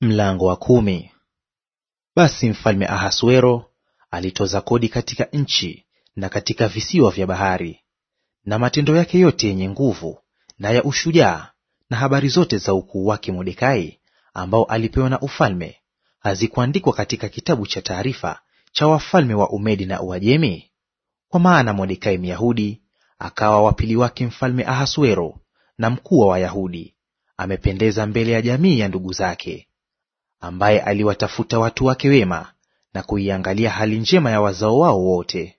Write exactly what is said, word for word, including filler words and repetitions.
Mlango wa kumi. Basi mfalme Ahasuero alitoza kodi katika nchi na katika visiwa vya bahari. Na matendo yake yote yenye nguvu na ya ushujaa, na habari zote za ukuu wake Mordekai ambao alipewa na ufalme, hazikuandikwa katika kitabu cha taarifa cha wafalme wa Umedi na Uajemi? Kwa maana Mordekai Myahudi akawa wa pili wake mfalme Ahasuero na mkuu wa Wayahudi, amependeza mbele ya jamii ya ndugu zake, ambaye aliwatafuta watu wake wema na kuiangalia hali njema ya wazao wao wote.